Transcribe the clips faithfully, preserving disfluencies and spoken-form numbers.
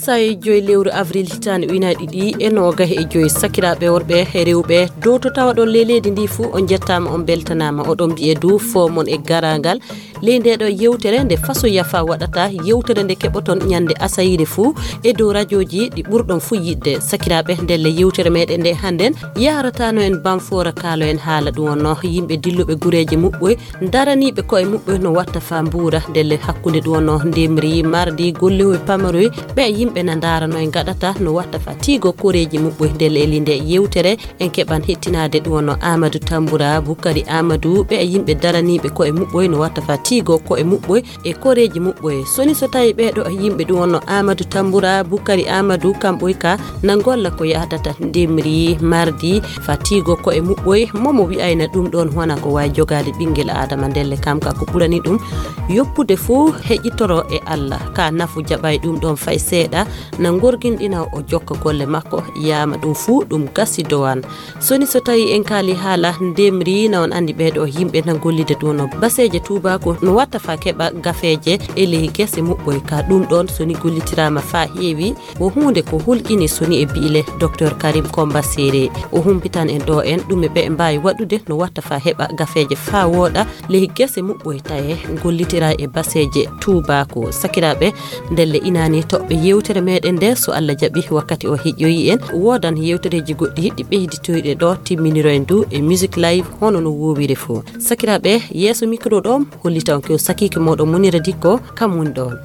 Tawi joyi lewru avril hitaande ujunaaji ɗiɗi e noogas e joyi, sakiraaɓe worɓe e rewɓe, dow to tawa ɗon ley leydi ndi fuu, on njettaama, on mbeltanaama. Oɗon mbiye du fo mon e garaangal ley nde ɗo yewtere nde Faso Yafa waɗata, yewtere nde keɓoton ñande asayire fuu e dow rajooji ɗi ɓurɗon fuu yiɗde. Sakiraaɓe, ndelle yewtere meɗen nde hannden yahrataano en Bamfoora, kaalo en haala ɗum wonno yimɓe dilluɓe gureeje muɓɓoy, daraniiɓe koye muɓɓoy no watta faa mbuura. Ndelle hakkunde ɗum wonno ndemri, mardi, gollehoy pamaroy, ɓe yimɓe na ndaarano e ngaɗata no watta faa tiigo koreeji muɓɓoy. Ndelle e linde yewtere en keɓan hettinaade ɗum wonno Amadou Tambura, Bukari Amadou, ɓe yimɓe daraniiɓe koye muɓɓoy no watta faa tiigo koye muɓɓoy e koreeji muɓɓoy. Soni so tawi ɓeeɗo yimɓe ɗum wonno Amadou Tambura, Bukari Amadou, kamɓoy ka na ngolla ko yahdata ndemri, mardi, faa tiigo koye muɓɓoy, momo wi'ayna ɗum ɗon wona ko wayi jogaade ɓinngel Aadama. Ndelle kam ka ko ɓurani ɗum yoppude fuu heƴitoro e Allah. Ka nafu jaɓay ɗum ɗon fay seeɗa, na ngorginɗina o jokka golle makko, yaama ɗum fuu ɗum gasi dowan. Soni so tawi en kaali haala ndemri, na on anndi ɓeeɗo yimɓe na gollida ɗum no baseeje tuubaaku no watta faa keɓa gafeeje e ley gese muɓɓoy. Ka ɗum ɗon soni gollitiraama faa heewi, wo huunde ko hulƴini soni e bi'ile Docteur Karim Komba Sere. O humpitan en ɗo en ɗume ɓe mbaawi waɗude no watta faa heɓa gafeeje faa wooɗa ley gese muɓɓoy taye gollitira e baseeje tuubaaku. Sakiraaɓe, ndelle inaani toɓɓe yewtere meɗen nde, so Allah jaɓi wakkati o heƴƴoyi en, woodan yewtereeji goɗɗi ɗi ɓeyditoyɗe ɗo timminiroyen du e Music Live hono no woowiri fuu. Sakiraaɓe, yeeso mikro ɗo hollita on ko sakiike mooɗon Munira Dikko, kam woni ɗon.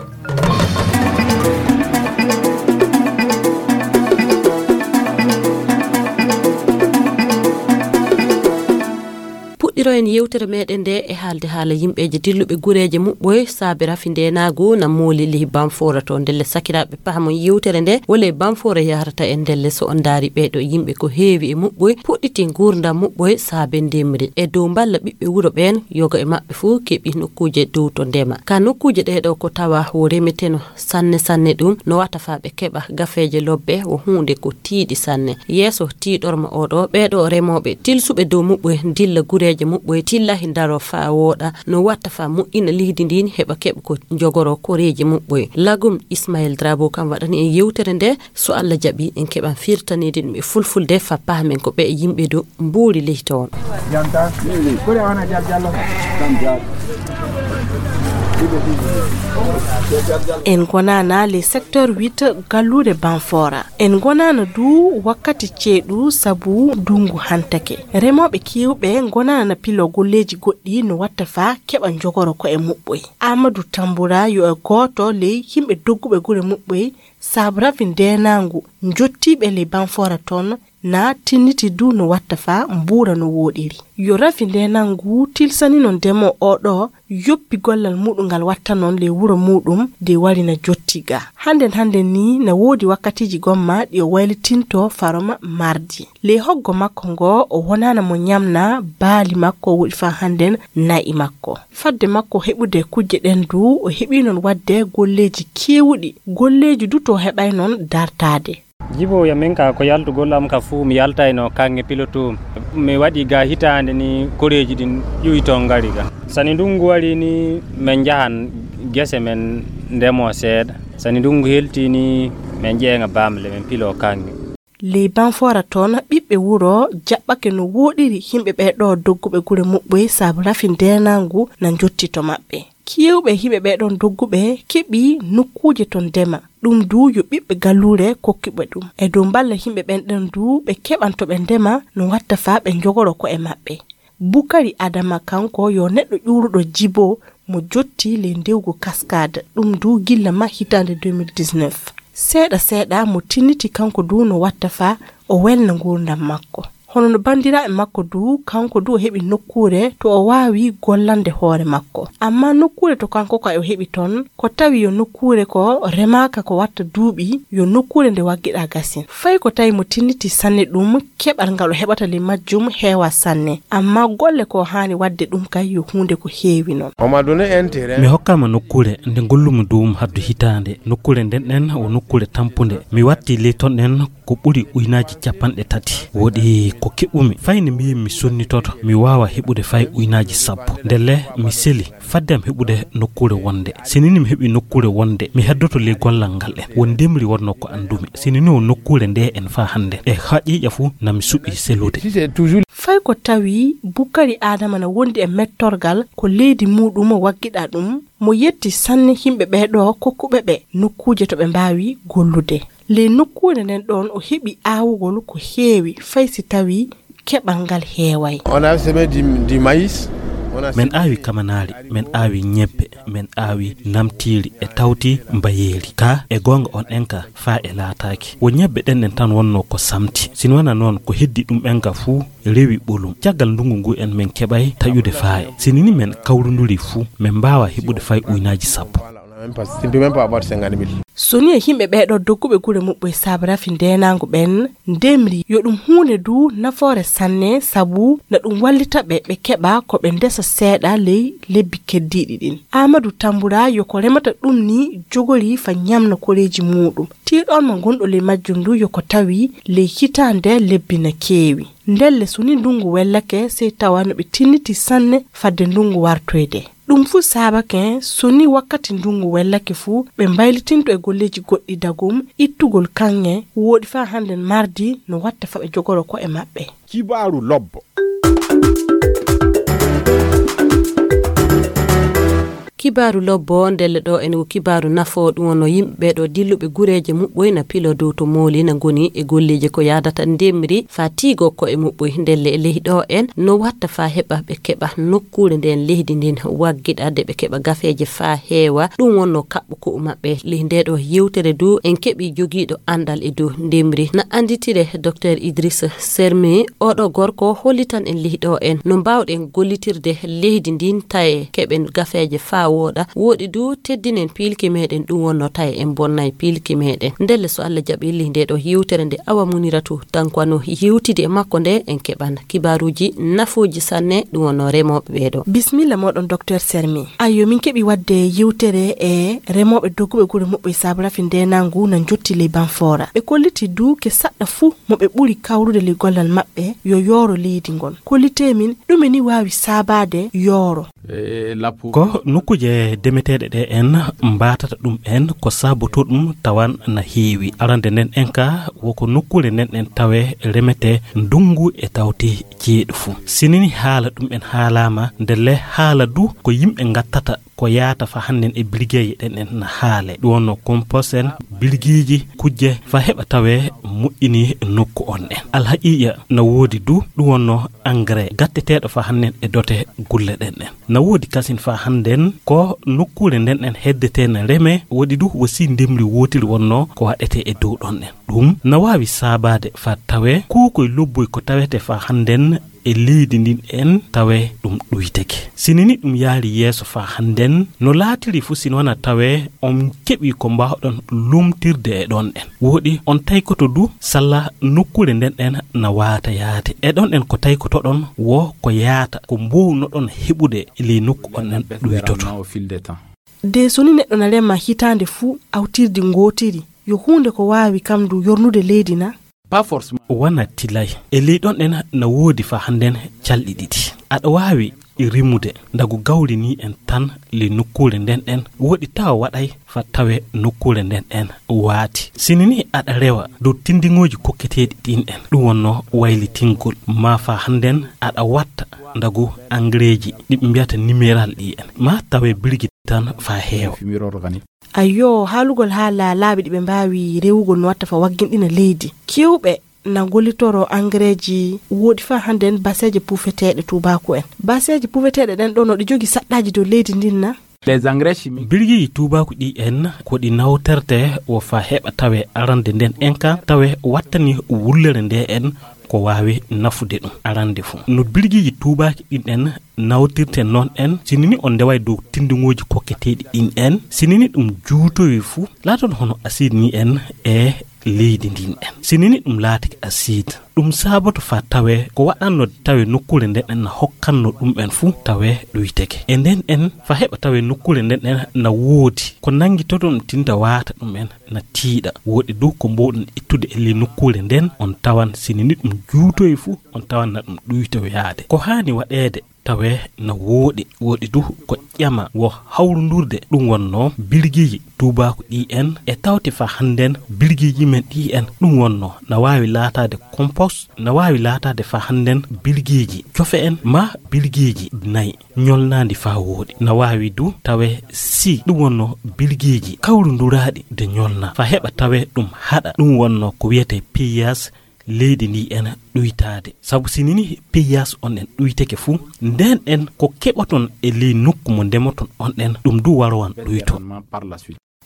Puɗɗiroyen yewtere meɗen nde e haalde haala yimɓeeje dilluɓe gureeje muɓɓoy saabe rafi ndeenaagu na mooli ley Bamfoora to. Ndelle sakiraaɓe, pahamon yewtere nde wole Bamfoora yahrata en. Ndelle so on ndaari ɓeeɗo yimɓe ko heewi e muɓɓoy puɗɗiti nguurndam muɓɓoy saabe ndemri. E dow mballa ɓiɓɓe wuro ɓeen, yoga e maɓɓe fuu keɓi nokkuuje dow to ndema. Ka nokkuuje ɗee ɗo ko tawa wo remeteno sanne sanne ɗum no wata faa ɓe keɓa gafeeje lobbe wo huunde ko tiiɗi sanne. Yeeso tiiɗorma oɗo, ɓeeɗo remooɓe tilsuɓe dow muɓɓoy dilla gureeje muɓɓoy tillahi ndaro faa wooɗa no watta faa moƴƴina leydi ndin heɓa keɓa ko jogoro koreeji muɓɓoy. Lagum Ismaël Drabo kam waɗani en yewtere nde, so Allah jaɓi en keɓan firtaniide ɗum e fulfulde faa pahamen ko ɓe yimɓe dow mbuuri leydi toon. En ngonaana le secteur huit galluure Banfora. En ngonaana du wakkati ceeɗu sabu ndungu hantake. Remooɓe keewɓe ngonaana pilo golleeji goɗɗi no watta faa keɓa njogoro ko'e muɓɓoy. Amadou Tambura yo e gooto ley yimɓe dogguɓe gure muɓɓoy sabu rafi ndeenaangu njottiiɓe ley Banfora toon na tinniti du no watta faa mbuura no wooɗiri. Yo rafi ndeenaangu tilsanino ndemo oɗo yoppi gollal muɗum ngal watta noon ley wuro muɗum de warina jotti ga. Hannden hannden ni na woodi wakkatiiji gomma ɗi o waylitinto faroma mardi. Ley hoggo makko ngo o wonaana mo ñamna baali makko woɗi faa hannden na'i makko. Fadde makko heɓude kujje ɗen du o heɓi noon waɗde golleeji keewuɗi. Golleeji du to heɓay noon dartaade. Jibo ya min ka ko yaltugol am ka fuu mi yaltayno kaŋŋe piloto. Mi waɗi ga hitaande ni koreeji ɗin ƴuwi toon ngari ga. Sani ndungu wari ni min njahan gese min ndemo seeɗa. Sani ndungu helti ni min ƴeeŋa baamle min pilo kaŋŋe. Ley Banfora toon ɓiɓɓe wuro jaɓɓake no wooɗiri yimɓe ɓee ɗo dogguɓe gure muɓɓoy sabu rafi ndeenaangu na njotti to maɓɓe. Keewɓe yimɓe ɓee ɗon dogguɓe keɓi nokkuuje to ndema. Ɗum du yo ɓiɓɓe galluure kokki ɓe ɗum. E dow mballa yimɓe ɓen ɗon du ɓe keɓan to ɓe ndema no watta faa ɓe njogoro ko'e maɓɓe. Bukari Adama kanko yo neɗɗo ƴuuruɗo jibo mo jotti ley ndewgu Kaskaade, ɗum du gilla ma hitaande deux mille dix-neuf. Seeɗa seeɗa mo tinniti kanko du no watta faa o welna nguurndam makko. Hono no banndiraaɓe makko du, kanko du o heɓi nokkuure to o waawi gollande hoore makko. Ammaa nokkuure to kanko ka o heɓi toon, ko tawi yo nokkuure ko remaaka ko watta duuɓi, yo nokkuure nde waggiɗaa gasin. Fay ko tawi mo tinniti sanne ɗum, keɓal ngal o heɓata ley majjum heewaa sanne. Ammaa golle ko haani waɗde ɗum kay yo huunde ko heewi noon. Mi hokkaama nokkuure nde ngollumi dow mum haddu hitaande. Nokkuure nden ɗen o nokkuure tampunde. Mi watti ley ton ɗen ko ɓuri ujunaaji cappanɗe tati. Woodi ko keɓumi, fay nde mbiimi mi sonnitoto, mi waawa heɓude fay uynaaji sappo. Ndelle mi seli fadde am heɓude nokkuure wonde. Sinini mi heɓi nokkuure wonde, mi heddoto ley gollal ngal en. Won ndemri wonnoo ko anndumi. Sinini o nokkuure nde en faa hannde. E haqiiqa fuu na mi suɓi selude. Fay ko tawi Bukari Aadama na wondi e mettorgal ko leydi muuɗum waggiɗa ɗum, mo yetti sanne yimɓe ɓee ɗoo kokkuɓe ɓe nokkuuje to ɓe mbaawi gollude. Ley nokkuure nden ɗoon o heɓi aawugol ko heewi fay si tawi keɓal ngal heeway. On a semé du, du maïs, on a Men aawi kamanaari, men aawi ñebbe, men aawi namtiiri e tawti mbayeeri. Ka e goonga on en ka faa e laataaki. Wo ñebbe ɗen en tan wonnoo ko samti. Sini wona noon ko heddi ɗum en ka fuu rewi ɓolum. Caggal ndungu ngu en men keɓay taƴude faaye. Sini ni men kawrunduri fuu, men mbaawa heɓude fay uynaaji sappo. Voilà, on a même pas, on peut même pas avoir cinquante mille. So ni e yimɓe ɓee ɗoo dogguɓe gure muɓɓoy saabu rafi ndeenaangu ɓen ndemri yo ɗum huunde du nafoore sanne sabu na ɗum wallita ɓe ɓe keɓa ko ɓe ndesa seeɗa ley lebbi keddiiɗi ɗin. Aamadu Tambura yo ko remata ɗum ni jogori fa ñamna koreeji muuɗum. Tiiɗoon mo ngonɗo ley majjum du yo ko tawi ley hitaande lebbi na keewi. Ndelle so ni ndungu wellake sey tawa no ɓe tinniti sanne fadde ndungu wartoyde. Ɗum fuu saabake so ni wakkati ndungu wellake fuu ɓe mbaylitinto e golleeji goɗɗi dagum ittugol kaŋŋe wooɗi faa hannden mardi no watta fa ɓe jogoro ko'e maɓɓe. Kibaaru lobbo. Kibaaru lobbo ndelle ɗo en ko kibaaru nafo ɗum wonno yimɓe ɓee ɗo dilluɓe gureeje muɓɓoy na pilo dow to mooli na ngoni e golleeje ko yaadata ndemri fa tiigo ko'e muɓɓoy ndelle e ley ɗo en no watta fa heɓa ɓe keɓa nokkuure nden leydi ndin waggiɗa de ɓe keɓa gafeeje fa heewa ɗum wonno kaɓɓo ko'u maɓɓe ley nde ɗo yewtere du en keɓi jogiiɗo anndal e dow ndemri na annditire Docteur Idriss Sermi oɗo gorko hollitan en ley ɗo en no mbawɗen gollitirde leydi ndin taye keɓen gafeeje fa wooɗa wooɗi du teddinen piilki meɗen ɗum wonno taye en bonnay piilki meɗen ndelle so Allah jaɓi ley nde ɗo yewtere nde awa muniratu tankwano yewtidi e makko nde en keɓan kibaaruuji nafooji sanne ɗum wonno remooɓe ɓee ɗo. Bismilla mooɗon Docteur Sermi. Ayyo min keɓi waɗde yewtere e remooɓe dogguɓe gure muɓɓe saabu rafi ndenangu na jotti ley Banfora ɓe kolliti du ke saɗɗa fuu mo ɓe ɓuri kawrude ley gollal maɓɓe yo yooro leydi ngon kollite min ɗume ni waawi saabaade yooro. Ko nokkuuje demeteeɗe ɗe en mbatata ɗum en ko saboto ɗum tawan na heewi arande nden en ka woko nokkuure nden en tawe remete ndungu e tawti ceeɗu fuu sinini haala ɗum en haalama ndelle haala du ko yimɓe ngattata ko yaata fa hannden e birgeeje ɗen en na haale ɗum wonno compost en birgiiji kujje fa heɓa tawe moƴƴini nokku on en alhaqiiqa na woodi du ɗum wonno engrais gatteteeɗo fa hannden e dote gulle ɗen en na woodi kasin fa hannden ko nokkuure nden en heddetee na reme woɗi du wosi ndemri wootiri wonno ko waɗetee e dow ɗon en ɗum na waawi saabaade fa tawe kuukoy lobboy ko tawete fa hannden e leydi ndin en tawe ɗum ɗuyteke sinini ɗum yaari yeeso fa hannden no laatiri fuu sino wona tawe on keɓi ko mbawɗon lumtirde e ɗon en woɗi on taykoto du salla nokkuure nden en na waata yaade e ɗon en ko taykotoɗon wo ko yaata ko mbownoɗon heɓude e ley nokku on en ɗuytoto. De so ni neɗɗo na rema hitaande fuu awtirdi ngootiri yo huunde ko waawi kam du yornude leydi na? Wona tilay e ley ɗon en na woodi fa hannden calɗi ɗiɗi aɗa waawi rimude ndagu gawri ni en tan ley nokkuure nden en woɗi tawa waɗay fa tawe nokkuure nden en waati sinini aɗa rewa dow tindiŋooji kokketeeɗi ɗin en ɗum wonno waylitingol ma fa hannden aɗa watta ndagu engrais ji ɗi ɓe mbiyata numéral ɗi en ma tawe birgi tan fa heewa. Ayyo haalugol haala laabi ɗi ɓe mbaawi rewugol no watta fa wagginɗina leydi kewɓe na gollitoro engrais ji woodi fa hannden baseeje puufeteeɗe tuubaaku en baseeje puufeteeɗe ɗen ɗo no ɗi jogi saɗɗaaji dow leydi ndin na? Birgiiji tuubaaku ɗi en ko ɗi nawterte wo fa heɓa tawe arande nden en ka tawe wattani wullere nde en ko waawi nafude ɗum arande fuu no birgiiji tuubaaki ɗin en nawtirten noon en sinini on ndeway dow tinndugooji kokketeeɗi ɗin en sinini ɗum juutowi fuu laaton hono asiid ni en e leydi ndin en sinini ɗum laatake asiid Ɗum saaboto faa tawee ko waɗannoo tawe nokkuure nden en na hokkanno ɗum en fuu tawee ɗuyteke. E nden en faa heɓa tawee nokkuure nden en na woodi ko nanngitoton tinta waata ɗum en na tiiɗa. Woodi du ko mboowɗon ittude e ley nokkuure nden, on tawan sini ni ɗum juutoyi fuu, on tawan na ɗum ɗuytoyaade. Ko haani waɗeede tawee na woodi, woodi du ko ƴama wo hawrundurde ɗum wonnoo birgiiji tuubaaku ɗi en e tawti faa hannden birgiiji men ɗi en ɗum wonnoo na waawi laataade kompos, na waawi laataade faa hannden birgiiji cofe en maa birgiiji nayi ñolnaandi faa woodi. Na waawi du tawee si ɗum wonnoo birgiiji kawrunduraaɗi de ñolnaa faa heɓa tawee ɗum haɗa ɗum wonnoo ko wiyetee piyas leydi ndi en ɗuytaade. Sabu si nini piyas on en ɗuyteke fuu, nden en ko keɓoton e ley nokku mo ndemoton on en, ɗum du warowan ɗuyto.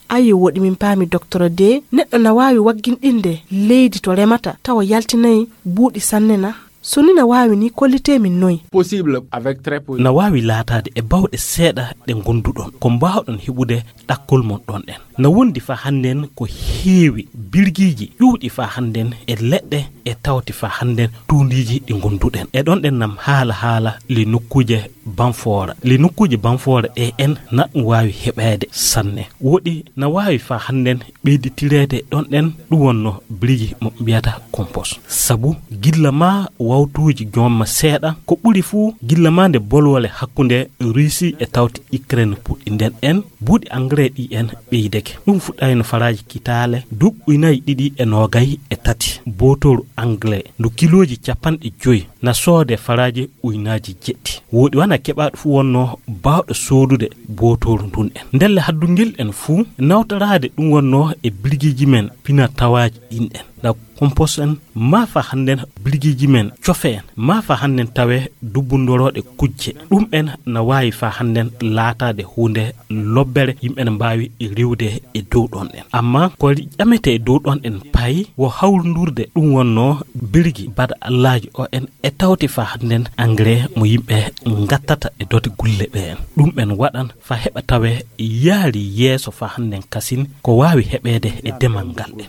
Ayo, woɗi min paami, Docteur, de neɗɗo na waawi wagginɗinde leydi to remata tawa yaltinayi buuɗi sanne na? So ni na waawi ni, kollitee min noy? Possible avec très peu. Na waawi laataade e bawɗe seeɗa ɗe ngonduɗon, ko mbaawɗon heɓude ɗakkol mon ɗon en. Na wondi faa hannden ko heewi birgiiji ƴuuɗi faa hannden e leɗɗe e tawti faa hannden tuundiiji ɗi ngonduɗen. E ɗon ɗen nam haala haala ley nokkuuje banfoora. Ley nokkuuje banfoora ɗe en na ɗum waawi heɓeede sanne. Woɗi na waawi faa hannden ɓeyditireede ɗon ɗen ɗum wonnoo birgi mo mbiyata kompos. Sabu gilla maa wawtuuji joomma seeɗa, ko ɓuri fuu gilla maa nde bolwole hakkunde Russie e tawti Ukraine puɗɗi nden en, buuɗi engrais ɗi en ɓeydeke. Ɗum fuɗɗayno faraaji kitaale duuɓi ujunaaji ɗiɗi e noogay e tati. Bootooru engrais ndu kilooji capanɗe joy na soode faraaji ujunaaji jeɗɗi. Woɗi wana keɓaaɗo fuu wonnoo baawɗo soodude bootooru ndun en. Ndelle haddungel en fuu nawtoraade ɗum wonnoo e birgiiji men pina tawaaji ɗin en. Na kompos en maa faa hannden birgiiji men cofe en maa faa hannden tawee dubbundorooɗe kujje. Ɗum en na waawi faa hannden laataade huunde lobbere yimɓe ne mbaawi riwde e dow ɗon en. Amma ko ƴametee e dow ɗon en payi wo hawrundurde ɗum wonnoo birgi baɗa allaaji o en e tawti faa hannden engrais mo yimɓe ngattata e dote gulle ɓe en. Ɗum en waɗan faa heɓa tawee yaari yeeso faa hannden kasin ko waawi heɓeede e demal ngal en.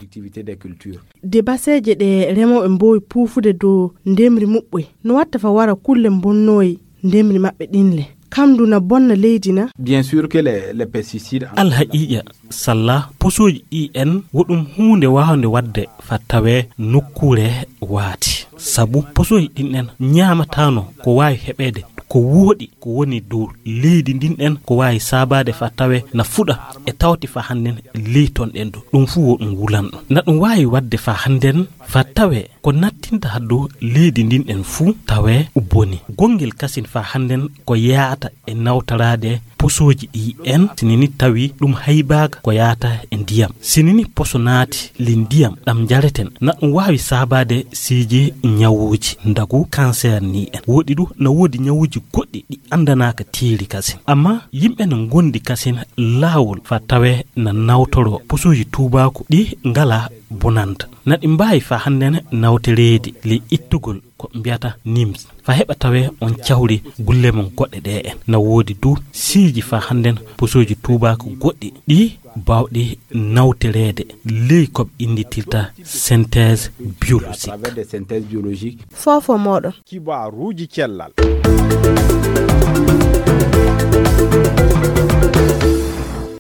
De baseeje ɗe remooɓe mboowi puufude dow ndemri muɓɓoy, no watta fa wara kulle mbonnooyi ndemri maɓɓe ɗin le. Kam du na bonna leydi na? Bien sûr que les, les pesticides en... Alhaqiiqa, salla posooji ɗi en, wo ɗum huunde waawnde waɗde fa tawee nokkuure waati. Sabu posooji ɗin en ñaamataano ko waawi heɓeede ko wooɗi ko woni dow leydi ndin en, ko waawi saabaade fa tawee na fuɗa e tawti fa hannden ley ton ɗen ɗo. Ɗum fuu wo ɗum wulanɗo. Na ɗum waawi waɗde fa hannden fa tawee ko nattinta haddo leydi ndin en fuu tawee boni. Gonngel kasin fa hannden ko yaata e nawtoraade posooji ɗi en, sinini tawi ɗum haybaaka ko yaata e ndiyam. Sinini poso naati li ndiyam ɗam njareten, na ɗum waawi saabaade siiji ñawuuji ndagu kanseer ni en. Woɗi du na woodi ñawuuji goɗɗi ɗi anndanaaka tiiri kasin. Amma yimɓe na ngondi kasin laawol fa tawee na nawtoroo posooji tuubaaku ɗi ngalaa bonanta. Na ɗi mbaawi fa hannden nawtoreede li ittugol ko mbiyata nims. Fa heɓa tawee on cawri gulle mon goɗɗe ɗe en. Na woodi du siiji fa hannden posooji tuubaaku goɗɗi ɗi baawɗi nawtoreede ley ko ɓe innditirta synthèse biologique. Foofo mooɗon. Kibaruuji cellal.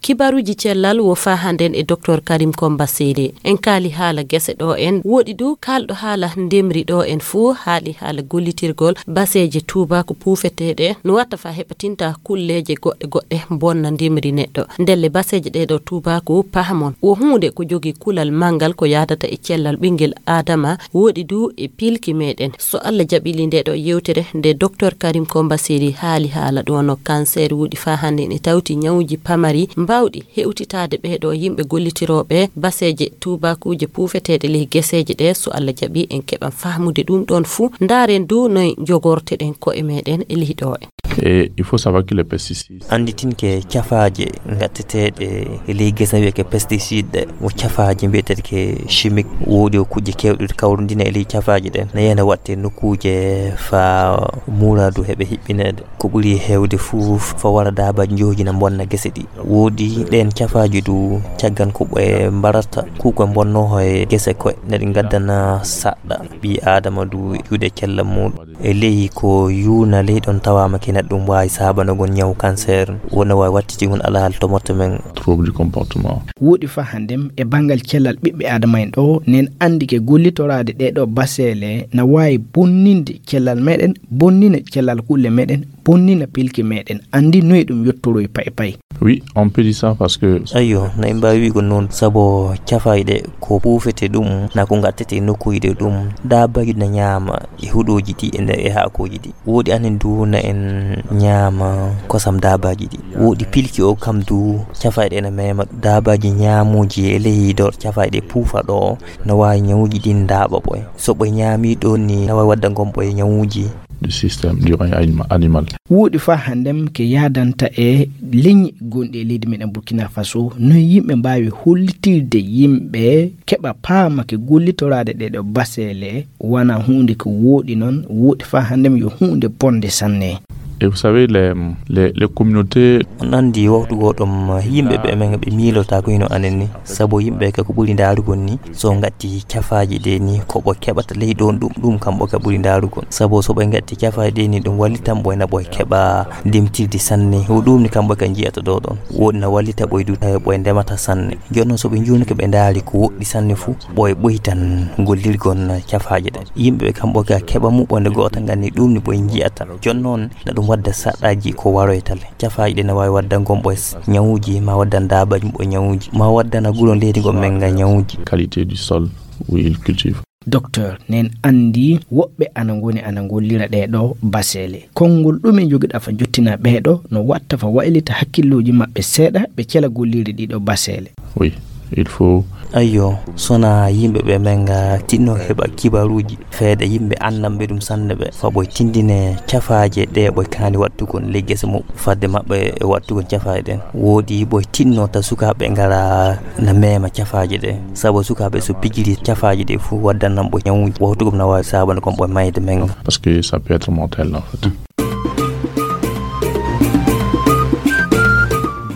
Kibaruuji cellal wo fa hannden e Docteur Karim Komba Seyde. En kaali haala gese ɗo en. Woɗi du kaalɗo haala ndemri ɗo en fuu haali haala gollitirgol baseeje tuubaaku puufeteeɗe no watta fa heɓa tinta kulleeje goɗɗe goɗɗe bonna ndemri neɗɗo. Ndelle baseeje ɗe ɗo tuubaaku pahamon wo huunde ko jogii kulal manngal ko yaadata e cellal ɓinngel Aadama, woɗi du e pilki meɗen. So Allah jaɓili nde ɗo yewtere nde Docteur Karim Komba Seydi haali haala ɗo no cancer wuɗi fa hannden e tawti ñawuuji pamari mbawɗi hewtitaade ɓe ɗo yimɓe gollitirooɓe baseeje tuubaakuuje puufeteeɗe ley geseeje ɗe. So Allah jaɓi en keɓan fahmude ɗum ɗon fuu. Ndaaren du noy jogorteɗen ko'e meɗen e ley ɗo en. Et il faut savoir que les pesticides. Anditinke cafaaje ngatteteeɗe e ley gese wiyeke pesticide ɗe, wo cafaaje mbiyeteeɗe ke chimique, woodi o kuuje keewɗe kawrundina e ley cafaaje ɗen. Na yena watte nokkuuje fa muradu heɓe hiɓɓineede. Ko ɓuri heewde fuu fa wara daabaaji njoji na mbonna gese ɗi. Woodi ɗeen cafaaji du caggan ko ɓe mbarata, ku ko mbonno e gese koye, na ɗi ngaddana saɗɗa ɓii Aadama du juuɗe cella muuɗum. E ley ko yuuna ley ɗon tawaama ke neɗɗo ɗum waawi saabanagon ñaw cancer, wona waawi wattitigol alhaali tomoto men. Trouble du comportement. Woɗi fa hanndem e banngal cellal ɓiɓɓe Aadama en ɗo, nen anndi ke gollitoraade ɗee ɗo baseele na waawi bonninde cellal meɗen, bonnina cellal kulle meɗen, bonnina pilki meɗen. Anndi noy ɗum yottoroy pay pay. Oui, on peut dire ça parce que. Ayyo, na en mbaawi wi'ugo noon, sabo cafayɗe ko puufete ɗum, na ko ngattete e nokkuuje ɗum, daabaaji na ñaama e huɗooji ɗi e nder e haakooji ɗi. Woodi anen du na en ñaama kosam daabaaji ɗi. Woodi pilki o kam du, cafayɗe na meema daabaaji ñaamuuji e ley dor cafayɗe puufa ɗo, na waawi ñawuuji ɗin ndaaɓa ɓoy. So ɓoy ñaami ɗon ni, na waawi wadda ngon ɓoy ñawuuji. Du système du règne anima-, animal. Woodi fa hanndem ke yaadanta e leñi gonɗi e leydi meɗen Burkina Faso, no yimɓe mbaawi hollitirde yimɓe keɓa paama ke gollitoraade ɗee ɗo baseele, wana huunde ko wooɗi noon, woodi fa hanndem yo huunde bonde sanne. Et vous savez, les, les, les communautés. On anndi waktu goo ɗum yimɓe ɓe men ɓe miilota ko hino anen ni, sabo yimɓe ka ko ɓuri ndaarugol ni, so ngatti cafaaji ɗe ni, ko ɓo keɓata ley ɗon ɗum, ɗum kam ɓo ka ɓuri ndaarugol. Sabo so ɓe ngatti cafaaji ɗe ni, ɗum wallitan ɓo ena ɓo keɓa ndemtirdi sanne. Ko ɗum ni kam ɓo ka njiyata ɗo ɗon. Woodi na wallita ɓo e du tawi ɓo e ndemata sanne. Jooni noon so ɓe njuunike ɓe ndaari ko woɗɗi sanne fuu, ɓo e ɓoytan gollirgol cafaaji ɗe. Yimɓe ɓe kam ɓo ka keɓa mu ɓo nde goota nganni ɗum ni ɓo e njiyata. Jooni noon na ɗum wadda saɗɗaaji ko waroyta le. Cafaaji ɗe na waawi wadda ngon ɓo s-, ñawuuji, ma waddan daabaaji ɓo ñawuuji, ma waddana guro leydi ngon men nga ñawuuji. Qualité du sol où il cultive. Docteur, nen anndi woɓɓe ana ngoni ana ngollira ɗee ɗo baseele. Konngol ɗume njogiɗa fa jottina ɓee ɗo no watta fa waylita hakkillooji maɓɓe seeɗa ɓe cela gollirde ɗii ɗo baseele? Oui, il faut. Ayyo, sona yimɓe ɓe men nga tinno heɓa kibaruuji. Feede yimɓe anndanɓe ɗum sanne ɓe, fa ɓoy tindine cafaaje ɗe ɓoy kaani wattugol ley gese muɓɓe fadde maɓɓe e wattugol cafaaje ɗen. Woodi ɓoy tinno ta sukaaɓe ngara na meema cafaaje ɗe. Sabu sukaaɓe so pijiri cafaaje ɗe fuu waddan nan ɓoy ñawuuji. Wawtu gom na waawi saabana kon ɓoy mayde men. Parce que ça peut être mortel, en fait.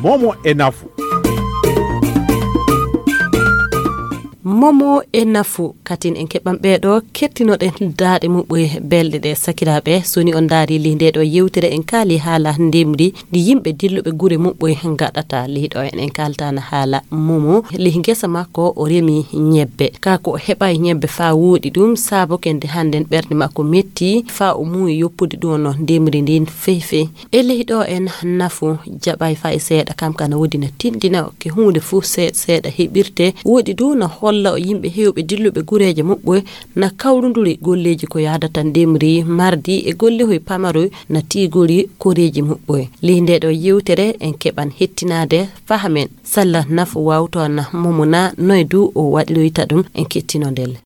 Momo e nafu. Momo e nafu, katin en keɓan ɓee ɗo kettinoɗen daaɗe muɓɓoye belɗe ɗe. Sakiraaɓe, so ni on ndaari ley ndee ɗo yewtere, en kaali haala ndemri ndi yimɓe dilluɓe gure muɓɓoye ngaɗata. Ley ɗo en, en kaaltana haala Momo. Ley ngesa makko o remi ñebbe. Kaa ko o heɓaay ñebbe faa wooɗi ɗum, saabo kende hannden ɓernde makko metti faa o muuyi yoppude ɗum no ndemri ndin fey fey. E ley ɗo en nafu jaɓay fay seeɗa, kam kana wodi na tindina ke huunde fuu seeɗa seeɗa heɓirte. Woodi du na holla o yimɓe heewɓe dilluɓe gureeje muɓɓoy na kawrunduri golleeji ko yaadata ndemri mardi e gollehoy pamaroy na tiigori koreeji muɓɓoy. Ley nde ɗo yewtere en keɓan hettinaade fahamen salla nafu wawto na momuna noy du o waɗiroyta ɗum en kettino ndelle.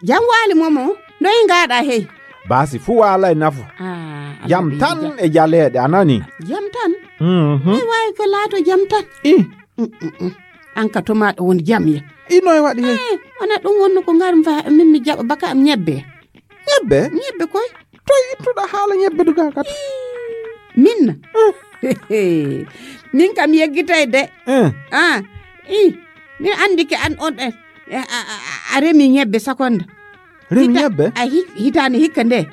Jam waali Momo, noy ngaɗa hey? Baasi fuu waalay nafu. Ah, jam Allah tan ɓeyda. E jaleeɗe, a nani? Jam tan? Mhm. Noy waawi ko laato jam tan? I. Mm, mm, mm. An ka tomaɗo won jam ya. I noy waɗi hey? Eh, wona ɗum wonno ko ngar mba min mi jaɓa baka am ñebbe. Ñebbe? Ñebbe koy. Toy ittuɗa haala ñebbe duga kat? Min na? Eh. Min kam yeggitay de. Eh. Ah, i. Mi andi ke an on ɗen. Eh, a, a, a, a remi ñebbe sakonda. Remi Hita-, ñebbe? A hi-, hitaande hikka nde.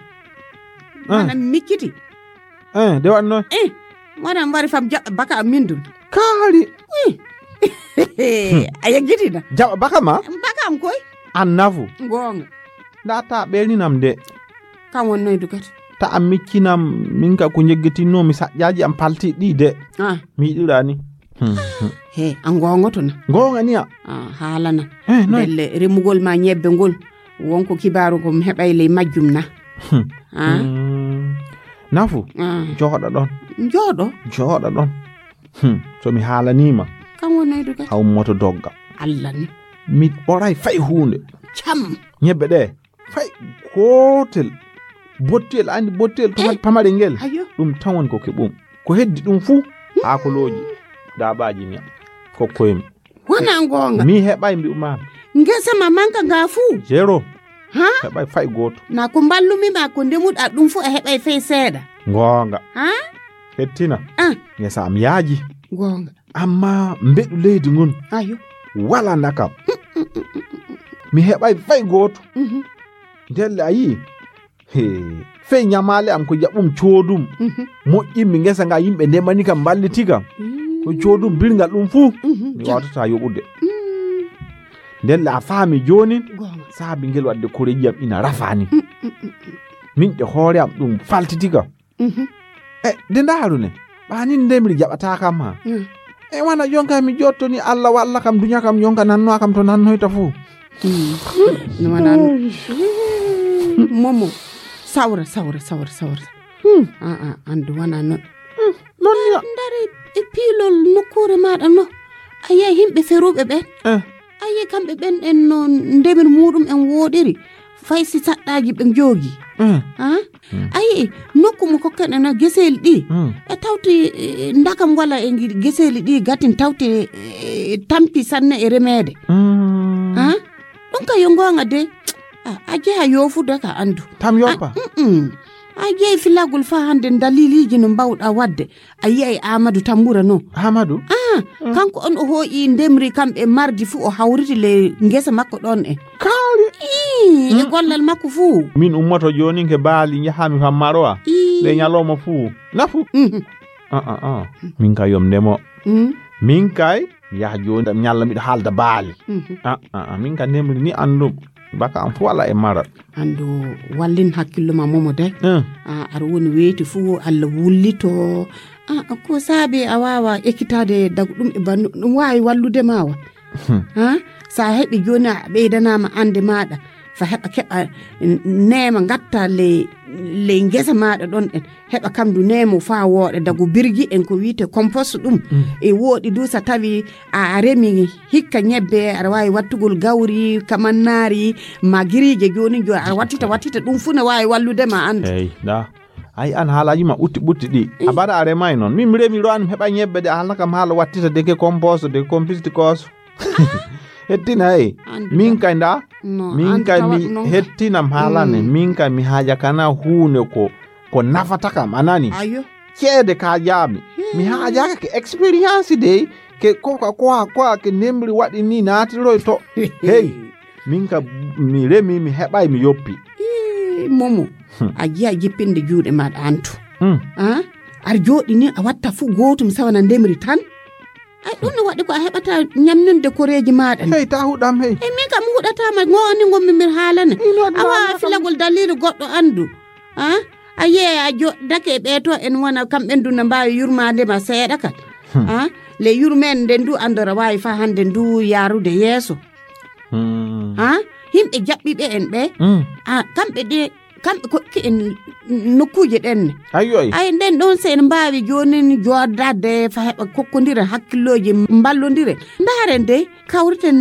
Ah. Mana micciti. Eh, de wanno? Eh, wona mbari fam jaɓɓa baka am min dun. Kaali. Eh. A yeggitina. Jaɓɓa baka ma? Baka am koy. An nafu. Goonga. Nda ta ɓeyninam de. Kam wonnoydu kadi. Ta a miccinam, min ka ko njeggitinno mi saƴƴaaji am palti ɗi de. Ah. Mi yiɗirani. Hmm, hmm. He, a ngongoto na. Ngonga niya. Ah, haalana. Eh, noy? Belle remugol ma ñebbe ngol. Wonko kibaaru ko mi heɓay ley majjum na. Hmm. Ah. Hmm. Nafu. Ah. Jooɗo ɗon. Jooɗo? Jooɗo ɗon. Hmm. So mi haalanima. Kam wonnoydu kadi. A ummoto dogga. Allah ni. Mi ɓoray fay huunde. Cam. Ñebbe ɗe. Fay gootel. Bottiyel, a anndi bottiyel to Eh. Pamare ngel. Ayo. Ɗum tan woni ko keɓum. Ko heddi ɗum fuu, haakolooji, daaɓaaji miya. Kokkoymi. Wona ngoonga. Mi heɓay mbi'u ma. Ngesa ma manka nga fuu. Zéro. Ha? Heɓay fay gooto. Na ko mballumi ma ko ndemuɗa ɗum fuu a heɓay fay seeɗa. Ngoonga. Ha? Hettina. Ah. Ngesa am yaaji. Ngoonga. Amma mbeɗu leydi ngun. Ayo. Wala ndakam. Mi heɓay fay gooto. Mhm. Ndelle a yii. He, fey ñamaale am ko jaɓum coodum. Mhm. Moƴƴinmi ngesa nga yimɓe ndemani kam mballiti kam. Mm. Ko coodum birgal ɗum fuu. Mhm. Mi wawtata yoɓude. Mm. Ndelle a faami joonin. Goonga. Saabi ngel wadde koreeji am ina rafani. Mm, mm, mm, mm. Min ɗe hoore am ɗum faltiti kam. Mhm. E, de ndaaru ne. Ɓaanin ndemri jaɓata kam ha. Mm. E wana jonka mi jottoni Allah walla kam duña kam jonka nanno kam to nannoyta fuu. Mm. No wana. Momo. Sawra, sawra, sawra, sawra. Hmm. Ah, ah, andu wana non. Hmm. Non ya. Ndari e piilol nokkuure maɗa no. A yi'ay himɓe feruɓe ɓen. Eh. A yi'ay kamɓe ɓen en no ndemir muɗum en woɗiri. Fay si saɗɗaaji ɓe joogi. Eh. Ah? Hmm. A yi'ay nokku mo kokken en geseeli ɗi. Hmm. E tawti, eh, ndakam wala e ngi-, geseeli ɗi gatin tawti, eh, tampi sanne e remeede. Hmm. Ah? Ɗum ka yo ngoonga de. Ah, a jeha yoofude ka andu. Tam yoppa? Ah, mm-mm. A jehi filagol fa hande daliliji no mbawɗa wadde. A yi'ay Amadou Tambura no. Amadou? Ah, kanko on o hooƴi ndemri kamɓe mardi fu o hawriti le ngesa makko ɗon e. Kaari? Ii, e gollal makko fu. Min ummoto joonin ke baali njahami fa Maroa. Ii. Le ñalawma fu. Nafu? Mhm. Ah, ah, ah. Min ka yom ndemo. Mm. Min kay, yaha jooni, mi ñalla miɗo haalda baali. Mhm. Ah, ah, ah, min ka nemri ni anndum. Baka am fu wala e mara. Andu wallin hakkillo ma momo de. Eh. Ah, aɗa woni weyti fu Allah wullito. Ah, ko saabi a waawa ekkitaade dagu ɗum e bannu, ɗum waawi wallude ma wa. Hmm. Ah, sa heɓi jooni a ɓeydanaama annde maaɗa. Fa heɓa keɓa, n-, neema ngatta ley, ley ngesa maaɗa ɗon ɗen. Heɓa kam du neemo faa wooɗa dagu birgi en ko wi'ete compost ɗum. Mm. E wooɗi du sa tawi a, a remi hikka ñebbe, aɗa waawi wattugol gawri, kamannaari, ma giriije jooni jo, aɗa wattita, wattita ɗum fu ne waawi wallude ma anndu. Hey, da. Ay an haalaaji ma ɓutti ɓutti ɗi. Eh. A mbaɗa a remay noon. Min mi remi ɗo an mi heɓa ñebbe de a haalna kam haala wattita de ke compost de compost kos. Hettina hey. Anndu min da. Kay nda. No, min anndu kay tawat mi noon. Hettinam haalane. Mm. Min kay mi haaja kana huune ko, ko nafata kam, a nani? Ayo. Ceede ka jaami. Hmm. Mi haajaaka ke expérience dey, ke ko, ko, ko, ko ke nemri waɗi ni naatiroy to. Hey, min ka mi remi, mi heɓay, mi yoppi. Ii, Momo, hmm, a jiya jippinde juuɗe maɗa antu. Hmm. Ah? Ar jooɗi ni a watta fu gootum sawana ndemri tan. Ay, ɗum no waɗi ko a heɓata ñamninde koreeji maaɗa ni. Hey, ta huɗam, hey. E min kam huɗataama, ngo ni ngonmi mir haalane. Ino waɗi a waawa haalana kam. Filagol daliilu goɗɗo anndu. Ah? A yee a jo-, dake e ɓee to en wona, kamɓe ndu no mbaawi yurmaade ma seeɗa kan. Hmm. Ah? Le yurmeen nde ndu anndora waawi faa hannde ndu yaarude yeeso. Hmm. Ah? Yimɓe jaɓɓiiɓe en ɓe. Hmm. Ah, kamɓe ɗe Kamɓe kokki en nokkuuje ɗen ne. Ayyo, ay. Ay, nden ɗon, so en mbaawi joonin jooddaade fa heɓa kokkondire hakkillooji, mballondire. Ndaaren dey, kawriten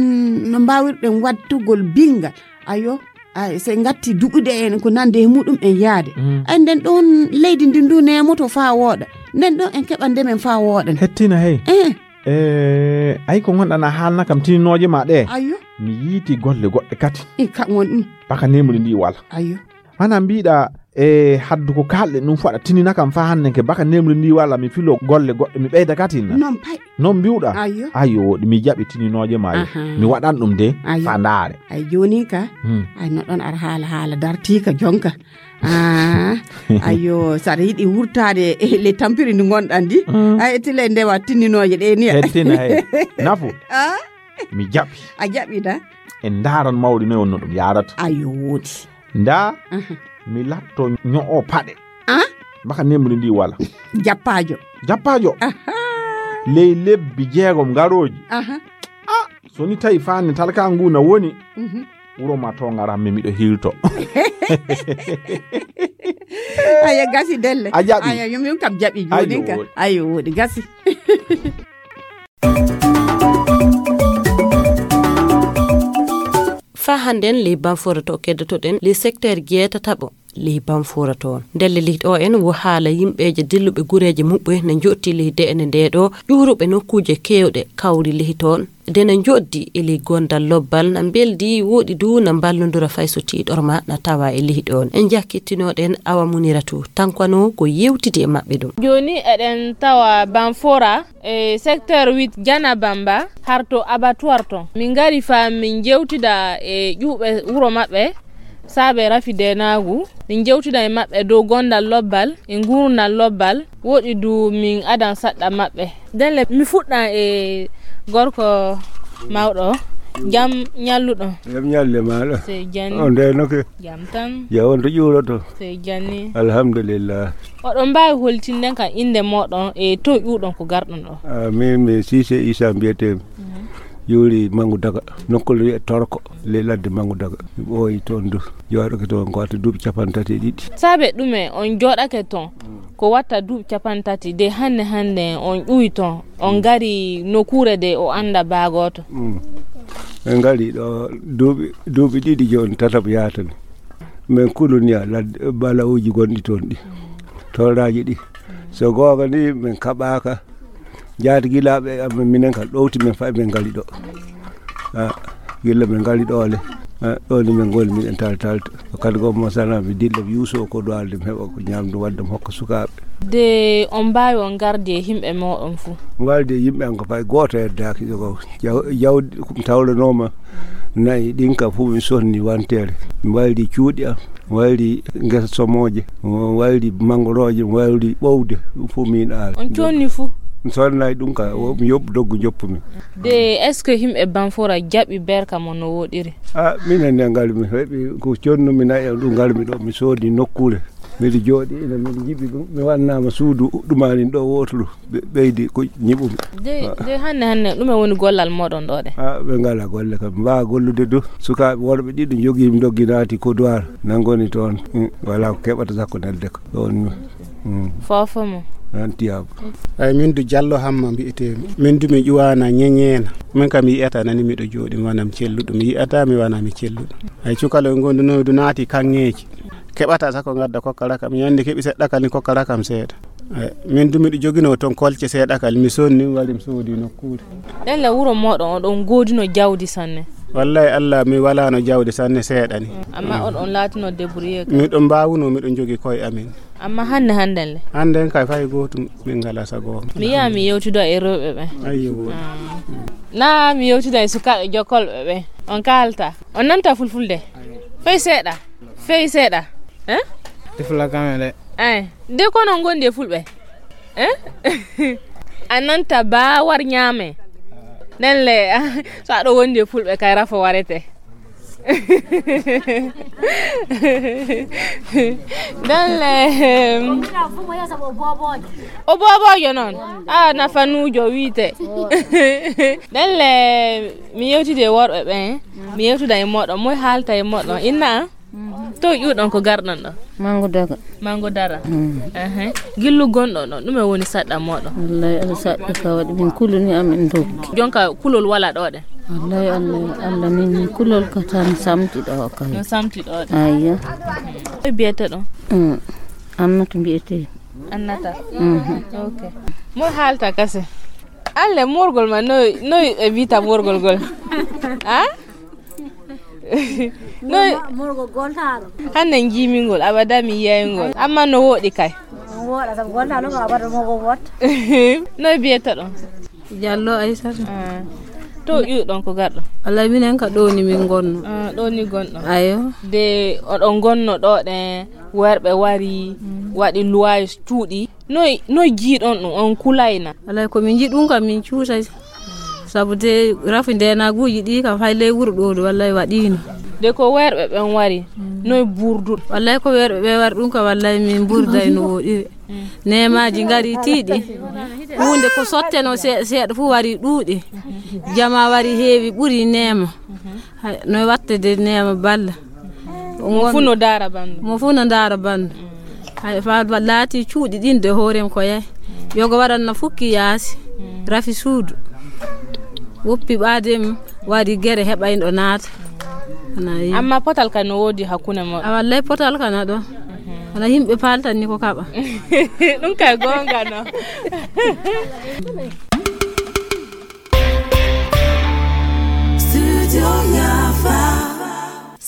no mbaawirɗen wattugol binngal. Ayo, ay, so en ngatti duɗude en ko nande e muɗum en yaade. Mm. Ay, nden ɗon leydi ndin du neemoto faa wooɗa. Nden ɗon en keɓa ndemen faa wooɗa. Hettina, hey. Eh. Eh, ay, ko ngonɗan a haalna kam tininooje ma ɗe. Ayo. Mi yiiti golle goɗɗe kadi. I, ka ngon ɗum. Baka nemri ndi wala. Ayo. Mana mbiɗa e haddu ko kalɗen ɗum faɗa tinina kam fa hannde ke baka nemri ndi walla mi filo golle goɗɗe mi ɓeyda katin. Non pay. Non mbiwɗa? Ayyo. Ayyo, woɗi mi jaɓi tininooje ma yo. Aha. Mi waɗan ɗum de. Ayyo. Fa ndaare. Ay jooni ka. Hmm. Ay no ɗon ar haala haala dartiika jonka. Ah, ayyo, saɗa yiɗi wurtaade e le tampiri ndi ngonɗan ndi. Hmm. Ay tile ndewa tininooje ɗe ni. Hettina he. Nafu. Ah? Mi jaɓi. A jaɓi da? En ndaaran mawɗi noy wonno ɗum yaarata. Ayyo, woodi. Nda, aha, mi latto ño'o paɗe. Ah? Baka nemri ndi wala. Jappaajo. Jappaajo. Aha. Ley lebbi jeegom garooji. Aha. Ah, so ni tawi faani talka ngu na woni. Mhm. Wuro ma to ngaran mi miɗo hirto. Aya gasi delle. A jaɓi. Aya yum yum kam jaɓi. Ayyo, jooni ka. Woodi. Ayyo, woodi gasi. Fa hannden ley banfore to keddotoɗen ley secteur jeetataɓo. ley Banfora toon. Ndelle ley ɗo en wo haala yimɓeeje dilluɓe gureeje muɓɓe ne njotti ley de'ene ndee ɗo, ƴuuruɓe nokkuuje keewɗe kawri ley toon. Nde ne njoɗdi e ley gondal lobbal, na mbeldi, woɗi du na mballondura fay so tiiɗorma na tawa e ley ɗoon. En njakkittinooɗen Awa Muniratu, tankano ko yewtidi e maɓɓe ɗum. Jooni eɗen tawa Banfora e secteur huit Janabamba, harto abattoir toon. Min ngari faa min njewtida e ƴuuɓe wuro maɓɓe, saabe rafi deenaagu. Min njewtida e maɓɓe dow gondal lobbal, e nguurndal lobbal, woɗi du min adan saɗɗa maɓɓe. Ndelle, mi fuɗɗan e gorko mawɗo, jam ñalluɗo. Jam ñalle maaɗa. Sey janni. On ndeynoke? Jam tan. Ya on to ƴuuroto? Sey janni. Alhamdulillah. Oɗon mbaawi holtinde kam innde mooɗon e to ƴuuɗon ko garɗon ɗo? Ah, min mi Siise Isa mbiyetee. Mhm. Ƴuuri Mangu Daga. Nokkuure wiyee Torko, ley ladde Mangu Daga. Mi ɓooyi toon du. Jooɗoke toon ko wata duuɓi capanɗe tati e ɗiɗi. Saabe ɗume on jooɗake toon? Ko watta duuɓi capanɗe tati de hannde hannde on ƴuwi toon, on ngari nokkuure de o annda baa gooto. Mm. En ngari ɗo duuɓi, duuɓi ɗiɗi jooni, tataɓo yaatani. Min kuluni a ladde, balawuuji gonɗi toon ɗi. Tooraaji ɗi. So goonga ni min kaɓaaka. Jaati gilaaɓe amen, minen ka ɗowti min fayi min ngari ɗo. Ah, gila min ngari ɗo le. Ah, ɗo ni min ngoni miɗen tal talta. Ko kadi ko mo sana mi dilla mi yuuso ko ɗo alde mi heɓa ko ñamdu wadde mi hokka sukaaɓe. De on mbaawi on ngardi e yimɓe mooɗon fuu? Ngardi e yimɓe am ko fayi gooto heddaaki ɗo ko jaw-, jawdi ko mi tawlanooma nayi ɗin ka fuu mi sonni wanteere. Mi wayli cuuɗi am. Wayri ngesa somooje, wayri mangorooje, wayri ɓowde, ɗum fof min aawi. On conni fuu? Mi sonnay ɗum ka, o, mi yoɓ doggu joppumi. De, est-ce que yimɓe Banfora jaɓi berka mo no woɗiri? Ah, minen ne ngarmi, heɓi ko connumi nayi, ɗum ngarmi ɗo, mi soodi nokkuure. Miɗo jooɗi, ina miɗo jiɓi ɗum, mi wannaama suudu ɗumanin ɗo wooturu. Ɓe-, ɓeydi ko ñiɓumi. De, ah, de hannde, hannde, ɗume woni gollal mooɗon ɗo de? Ah, ɓe ngala golle kam. Mbaa gollude du. Sukaaɓe worɓe ɗiɗo njogii mi doggi naati ko duwaar. Nan ngoni toon. Mm, wala ko keɓata sakko nelde ko. Ɗoon mi. Mm. Foofo mo. Nan tiyaabu. Ay, min du Jallo Hamma mbiyetee mi. Min du mi ƴuwaana ñeñeena. Min kam mi yi'ata nani miɗo jooɗi, mi wana mi celluɗo. Mi yi'ata mi wana mi celluɗo. Ay, cukaloy ngondunoy du naati kaŋŋeeji. Keɓata sa ko ngadda kokkara kam. Ñande keɓi seɗɗa kadi kokkara kam seeɗa. Eh, min du miɗo joginoo toon kolce seeɗa kadi. Mi sonni, mi wari mi soodi nokkuure. Ɗen le wuro mooɗon, oɗon ngoodino jawdi sanne? Wallay Allah, mi walaano jawdi sanne seeɗa ni. Mm. Amma oɗon laatino débrouillé kadi? Miɗo mbaawuno, miɗo jogi koye amin. Amma hannde, hannden le? Hannden kay fay gootum, min ngala sago. Mi yi'a mi yewtido e rewɓe ɓe. Ayyo. Ah. Na mi yewtida e sukaaɓe jokkolɓe ɓe. On kaalta. On nanta fulfulde? Fay seeɗa. Fey seeɗa. Eh? Ɗi fula kame de. Ay, de kono ngondi e fulɓe. Eh? A nanta ba war ñaame. Nden le, so aɗo wondi e fulɓe kay rafo warete. Nden le, em, o bobojo noon. A nafanujo wiite. Nden le, mi yewtidi e worɓe ɓen. Mi yewtida e moɗon. Moy haalta e moɗon? Inna? To ƴuuɗon ko garɗon ɗo? Mango daga. Mango dara. Mm. Ehe. Gillu gonɗon ɗo, ɗume woni saɗɗa moɗon? Wallahi, ala saɗɗa ka waɗi min kuluni amin doggi. Jonka kulol wala ɗo ɗen? Wallahi, Allah, Allah min kulol ka tan samti ɗo kay. No samti ɗo ɗen? Ayya. Ko biyete ɗon? Mm. Annata mbiyete. Annata? Mhm. Ok. Mo haalta kase? Alle morgol ma noy, noy e bita morgol gol? Ha? Noy? Morgol gol taalo. Hande jimingol, abada mi yeyngol. Amma no woɗi kay. Woɗa sabu gol taalo ko abada mo go wot. Noy biyata ɗon? Jallo Aysata. Ah. To ƴuuɗon ko garɗo? Wallahi minen ka ɗo ni min gonno. Ah, ɗo ni gonɗo. Ayo. De oɗon gonno ɗo ɗe worɓe wari, mm, waɗi luwaaji cuuɗi. Noy, noy jiiɗon ɗum, on kulayna? Alay ko min jiɗi ɗum kam min cuusay. Sabu de rafi ndenaguuji ɗi kam hay ley wuro ɗo ɗo wallay waɗiino. De ko weerɓe ɓen wari, mm, noy burdu? Wallay ko weerɓe ɓe wari ɗum kam wallay min burday no woɗiri. Mm. Neemaaji ngari tiiɗi. Huunde ko sotteno se-, seeɗa fof wari ɗuuɗi. Jama wari heewi ɓuri neema. Mhm. Hay, no wattede neema balla. Mo fuu no daara banndum. Mo fuu no daara banndum. Mm. Hay, fa-, fa-, laati cuuɗi ɗin de hoorem ko yahi. Yogo waɗanno fukki yaasi. Mm. Rafi suudu. Woppi ɓaadem, waɗi gere heɓayno naata. Ana yi. Amma potal ka no woodi hakkunde mo. A wallay potal kana ɗo. Wala yimɓe paltan ni ko kaɓa. Ɗum kay gonga no.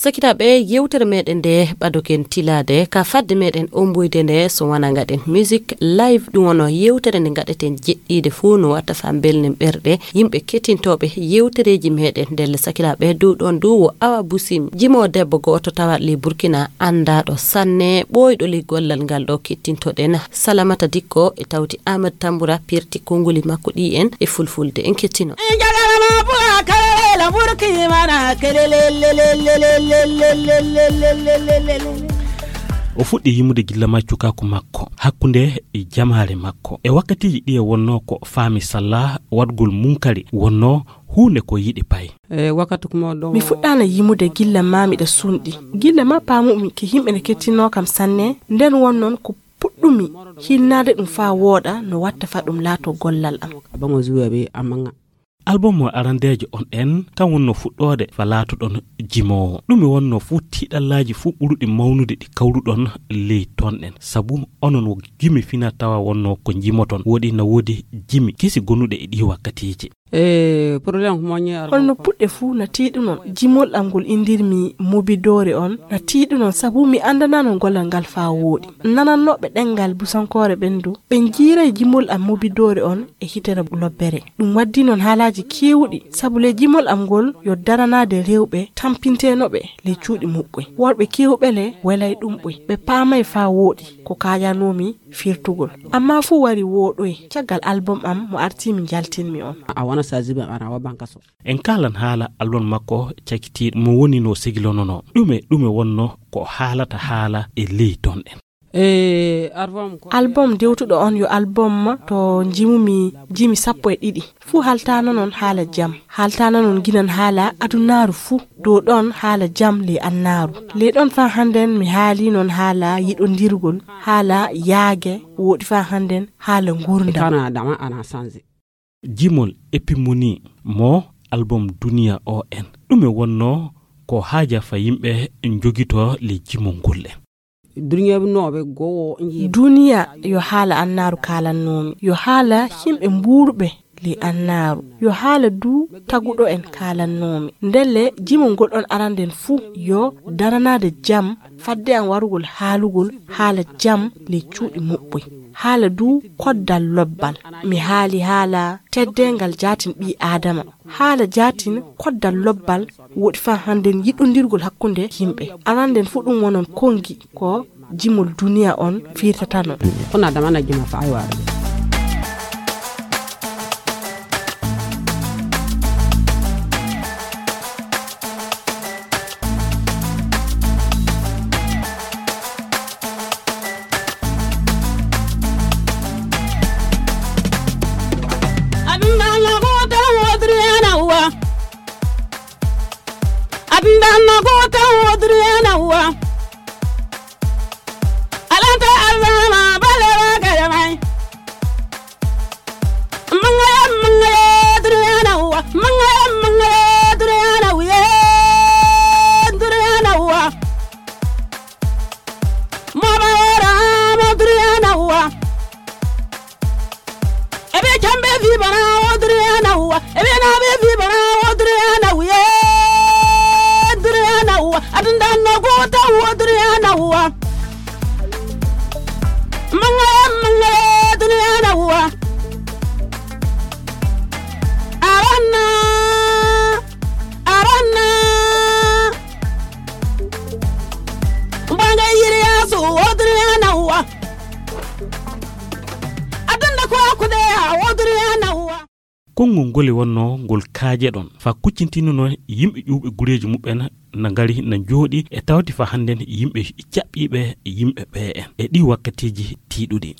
Sakiraaɓe, yewtere meɗen nde ɓadoken tilaade ka fadde meɗen omboyde nde, so wona ngaɗen music live, ɗum wono yewtere nde ngaɗeten jeɗɗiide fof no watta fa mbelnen ɓerɗe yimɓe kettintooɓe yewtereeji meɗen. Ndelle sakiraaɓe, dow ɗon dow wo Awa Busim, jimo debbo gooto tawa le Burkina, anndaɗo sanne, ɓooyɗo le gollal ngal ɗo kettintoɗen. Salamata Dikko e tawti Ahmad Tambura pirti konngoli makko ɗi en e fulfulde. En kettino. O fuɗɗi yimude gilla ma cukaaku makko, hakkunde e jamaare makko. E wakkatiiji ɗi e wonnoo ko faami salla waɗgol munkari, wonnoo huunde ko yiɗi pay. Mi fuɗɗaana yimude gilla ma miɗa sunɗi. Gilla ma paamumi ke yimɓe ne kettinoo kam sanne, nden won noon ko puɗɗumi hinnaade ɗum faa wooɗa no watta fa ɗum laato gollal am. Album mo arandeejo on en, kan wonno fuɗɗoode fa laatoɗon jimoowo. Ɗume wonno fuu tiiɗallaaji fuu ɓuruɗi mawnude ɗi kawruɗon ley ton ɗen? Sabu onon wo gimi fina tawa wonno ko jimoton. Woɗi na woodi jimi kesi gonuɗe e ɗi wakkatiiji. Holno puɗɗe fuu na tiiɗunon? Jimol am ngol indirmi mubidoore on na tiiɗunon sabu mi anndananon gollal ngal faa wooɗi. Nanannooɓe ɗenngal busankoore ɓen du, ɓe njiiray jimol am mubidoore on e hitere lobbere. Ɗum waddi noon haalaaji keewuɗi, sabu le jimol am ngol yo daranaade rewɓe tampinteenoɓe le cuuɗi muɓɓoy. Worɓe keewɓe le welay ɗum ɓoy, ɓe paamay faa wooɗi ko kaajanoomi firtugol. Ammaa fuu wari wooɗoy caggal album am mo artii mi njaltinmi on. A wona saziba ana wa bankaso. En kaalan haala album makko cakitiiɗo mo woni no segilononoo. Ɗume ɗume wonno ko haalata haala e ley ton ɗen? Album dewtuɗo on yo album to njimumi jimi sappo e ɗiɗi. Fuu haaltaano noon haala jam. Haaltaano noon ginan haala adunaaru fuu. Dow ɗon haala jam ley annaaru. Ley ɗon faa hannden mi haali noon haala yiɗondirgol, haala yaage, wooɗi faa hannden haala nguurndam. Jimol epimoni mo album Duniya O N. Ɗume wonno ko haaja fa yimɓe njogito le jimol ngol le? Duniya yo haala annaaru kaalannoomi. Yo haala yimɓe mbuurɓe le annaaru. Yo haala du taguɗo en kaalannoomi. Ndelle jimol ngol ɗon aranden fuu yo daranaade jam fadde an warugol haalugol haala jam le cuuɗi muɓɓoy. Haala du koddal lobbal. Mi haali haala teddeengal jaatin ɓii Aadama. Haala jaatin koddal lobbal woɗi faa hannden yiɗondirgol hakkunde yimɓe. Aranden fuu ɗum wonon konngi ko jimol duniya on firtatano. Kono adama na jima faa waare. Adundanno ko tan wodriyana uwa. Adundanno ko tan wodriyana uwa. Alanta alama balewa kayamai. Mangaya mangaya driyana uwa. Mangaya mangaya driyana uye. Driyana uwa. Mama wara ma driyana uwa. Ebe chambe vibana odriana uwa. Ebe na be vibana odriana uye. Driana uwa. Adundanno gota odriana uwa. Mangala mangala driana uwa. Arana. Arana. Banga yiri asu odriana uwa. Adanda ko akude ya odriana uwa. Konngol ngol e wonnoo ngol kaajeɗon, faa kuccintinunoo yimɓe ƴuwɓe gureeji muɓɓen na ngari na njooɗii e tawti faa hannden yimɓe caɓɓiiɓe yimɓe ɓe'en e ɗii wakkatiiji tiiɗuɗi.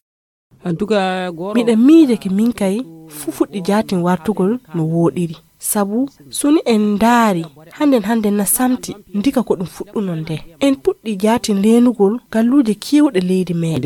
Miɗa miijake min kay fuu fuɗɗi jaatin wartugol no wooɗiri. Sabu so ni en ndaari hannden hannden na samti ndika ko ɗum fuɗɗunoo nde. En puɗɗii jaatin leenugol galluuje keewɗe leydi meeɗen.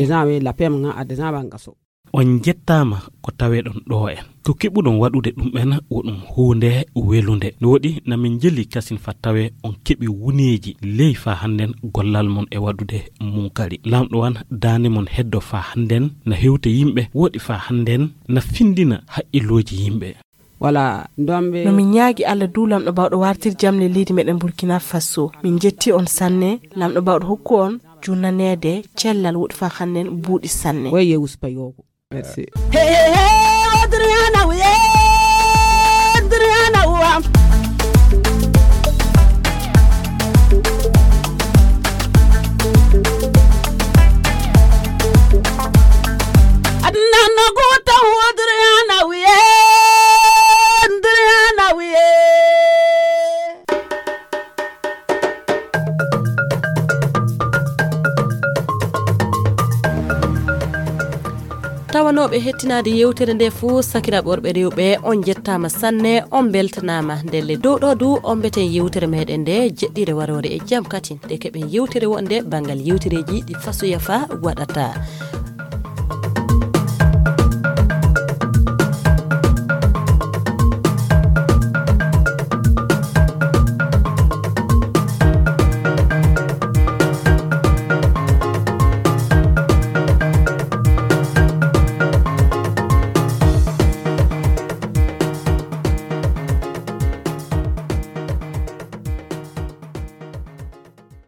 On njettaama ko taweɗon ɗoo en. Ko keɓuɗon waɗude ɗum en, wo ɗum huunde welunde. No woɗi, na min njeli kasin fa tawe on keɓi wuneeji ley fa hannden gollal mon e waɗude munkari. Laamɗo wan daande mon heddo fa hannden na hewta yimɓe, woɗi fa hannden na findina haqqillooji yimɓe. Wala ndombe. No min ñaagi Allah du Lamɗo Bawɗo wartir jam le leydi meɗen Burkina Faso. Min jetti on sanne, Lamɗo Bawɗo hokku on junnaneede cellal woɗi fa hannden buuɗi sanne. Weye uspayogo. Merci. Hey, hey, hey, Adriana, we, Adriana, we. Adriana, we, Adriana, we. Tawanooɓe hettinaade yewtere nde fuu, sakiraaɓe worɓe rewɓe, on njettaama sanne, on mbeltanaama. Ndelle dow ɗo du, on mbeten yewtere meɗen nde jeɗɗire waroore e jam katin. Nde keɓen yewtere wonde banngal yewtereeji ɗi fasoya fa waɗata.